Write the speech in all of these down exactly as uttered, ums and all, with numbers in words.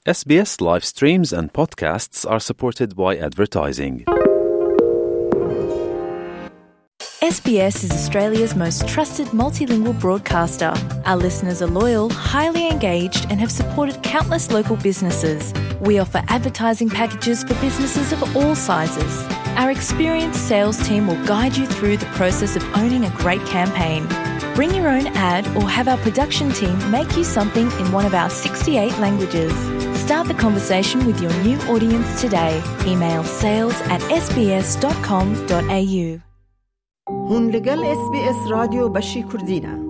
S B S live streams and podcasts are supported by advertising. S B S is Australia's most trusted multilingual broadcaster. Our listeners are loyal, highly engaged, and have supported countless local businesses. We offer advertising packages for businesses of all sizes. Our experienced sales team will guide you through the process of owning a great campaign. Bring your own ad or have our production team make you something in one of our sixty-eight languages. Start the conversation with your new audience today. Email sales at S B S dot com dot A U. Hûn li gel S B S Radyo beşî Kurdî ne.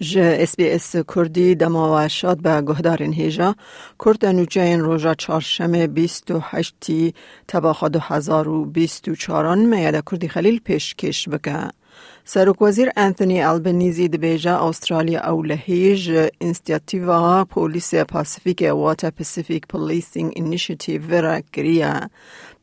Ji S B S Kurdî dema we şad be guhdarên hêja. Kurte nûçeyên roja çarşemê bîst û heştî teba xwe du hezar û bîst û çaran me ya de Kurdî Xelîl pêşkêş bike. Serokwezîr Anthony Albanese dibêje Astralya ewlehî ji însiyatîva polîsê Pasifîkê wate Pacific Policing Initiative re kiriye.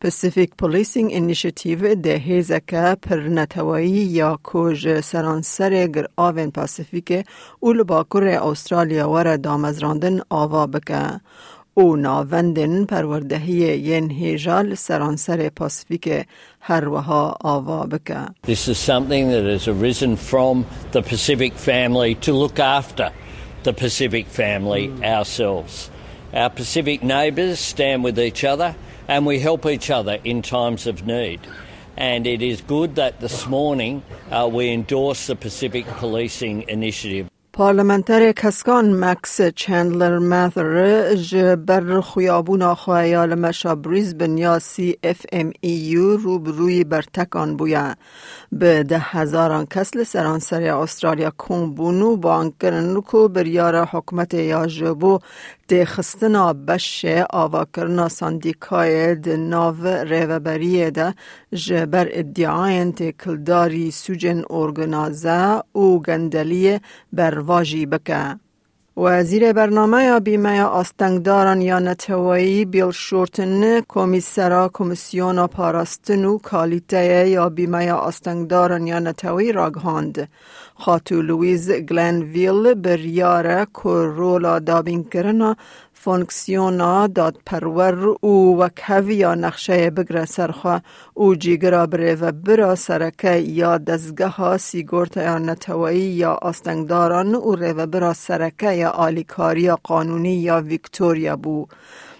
Pacific Policing Initiative dê hêzeke pir neteweyî ya ku ji seranserê giravên Pasifîkê û li Bakurê Astralya were damezrandin ava bike û navendên perwerdehiyê yên hêja li seranserê Pasifîkê her wiha ava bike. This is something that has arisen from the Pacific family to look after the Pacific family ourselves. Our Pacific neighbours stand with each other and we help each other in times of need. And it is good that this morning, uh, we endorse the Pacific Policing Initiative. Parlamenterê Keskan Max Chandler Mather ji ber xuyabûna xwe ya li meşa Brisbane ya C F M E U rû bi rûyî bertekan bûye. Bi deh hezaran kes li seranserê Astralya kom bûn û bang kirin ku biryara hikûmetê ya ji bo têxistina beşê avakirina sendîkayê di nav rêveberiyê de ji ber îdiayên têkildarî sûcên organaze û gendeliyê bervajî bike. Wezîrê Bernameya Bîmeya Astengdaran ya Neteweyî Bill Shorten, Komîsera Komîsyona Parastin û Kalîteyê ya Bîmeya Astengdaran ya Neteweyî ragihand. Xatû Louise Glanville biryar e ku rola dabînkirina fonksiyona dadperwer û wekhev ya nexşeyê bigre ser xwe û cîgira birêvebira sereke ya dezgeha sîgortaya neteweyî ya astengdaran û rêvebira sereke ya alîkariya qanûnî ya Victoria bû.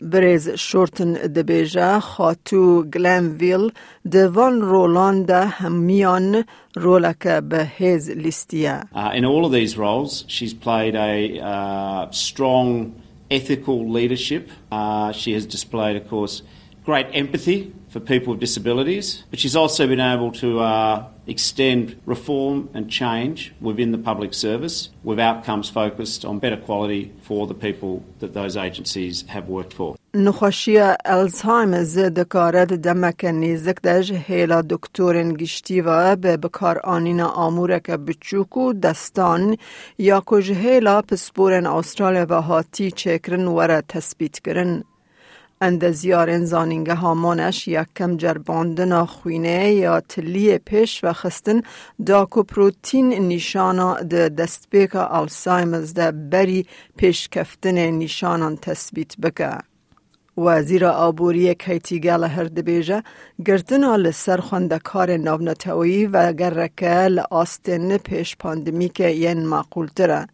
Birêz Shorten dibêje, Xatû Glanville di van rolan de hemiyan roleke bi hêz lîstiye. Uh, in all of these roles, she's played a, uh, strong ethical leadership. Uh, she has displayed, of course, great empathy for people with disabilities, but she's also been able to, uh, extend reform and change within the public service with outcomes focused on better quality for the people that those agencies have worked for. Nexweşiya Alzheimer's dikare di demeke nêzik de ji hêla doktorên giştî ve bi bikaranîna amûreke biçûk û destan ya ku ji hêla pisporên Astralya ve hatî çêkirin were tespîtkirin. Endezyarên Zanîngeha Monash yekem cerbandina xwînê ya tiliyê pêş ve xistin da ku protîn nîşana di destpêka Alzheimer's de berî pêşkeftinê nîşanan tespît bike. Wezîra Aboriyê Katie Gallagher dibêje, girtina li ser xwendekarên navneteweyî vegereke li astên pêş pandemîkê yên maqûltir e.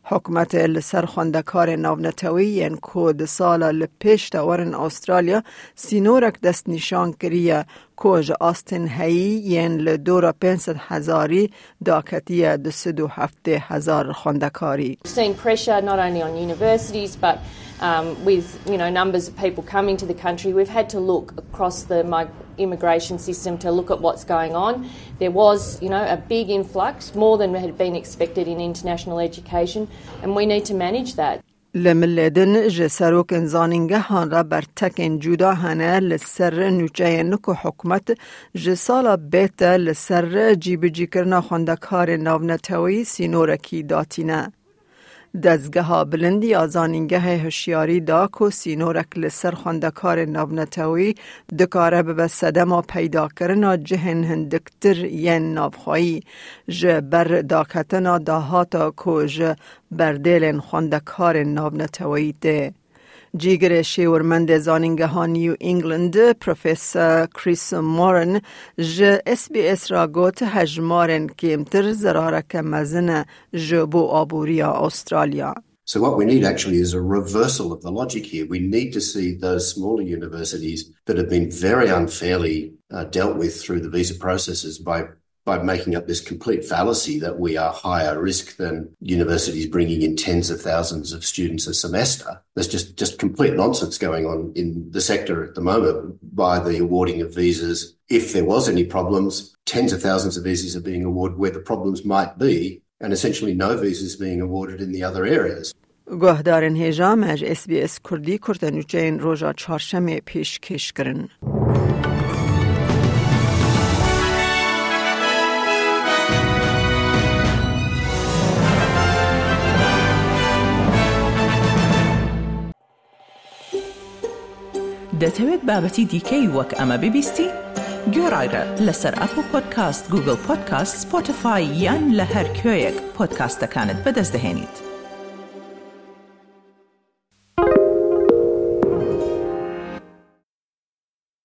Hikûmetê li ser xwendekarên navnetewî yên ku di sala li pêş de werin Astralya sînorek destnîşan kiriye ku ji astên heyî yên li dora pênc sed hezarî daketiye du sed û heftê hezar xwendekarî. We've seen pressure not only on universities but, um, with, you know, numbers of people coming to the country, we've had to look across the mig- immigration system to look at what's going on. There was, you know, a big influx, more than had been expected in international education, and we need to manage that. Li milê din ji serokên zanîngehan re bertekên cuda hene li ser nûçeyên ku hikûmet ji sala bête li ser cîbicîkirina xwendekarên navneteweyî sînorekî datîne. Dezgeha bilind ya zanîngehê hişyarî da ku sînorek li ser xwendekarên navneteweyî dikare bibe sedema peydakirina cihên hindiktir yên navxweyî ji ber daketina dahata ku ji berdêlên xwendekarên navneteweyî tê. Cîgirê şêwirmendê zanîngeha New England, Professor Chris Moran, ji S B S re got, hejmarên kêmtir zerareke mezin e ji bo aboriya Australya. So what we need actually is a reversal of the logic here. We need to see those smaller universities that have been very unfairly, uh, dealt with through the visa processes by, by making up this complete fallacy that we are higher risk than universities bringing in tens of thousands of students a semester. There's just, just complete nonsense going on in the sector at the moment by the awarding of visas. If there was any problems, tens of thousands of visas are being awarded where the problems might be, and essentially no visas being awarded in the other areas. Guhdarên hêja me ji S B S Kurdî kurtenûçeyên roja çarşemê pêşkêş kirin. دەتەوێت بابەتی دیکەی وەک ئەمە ببیستی؟ گوێڕایرە لەسەر ئەپڵ پۆدکاست، گوگڵ پۆدکاست، سپۆتیفای یان لە هەر کوێیەک پۆدکاستەکانت بەدەست دەهێنیت.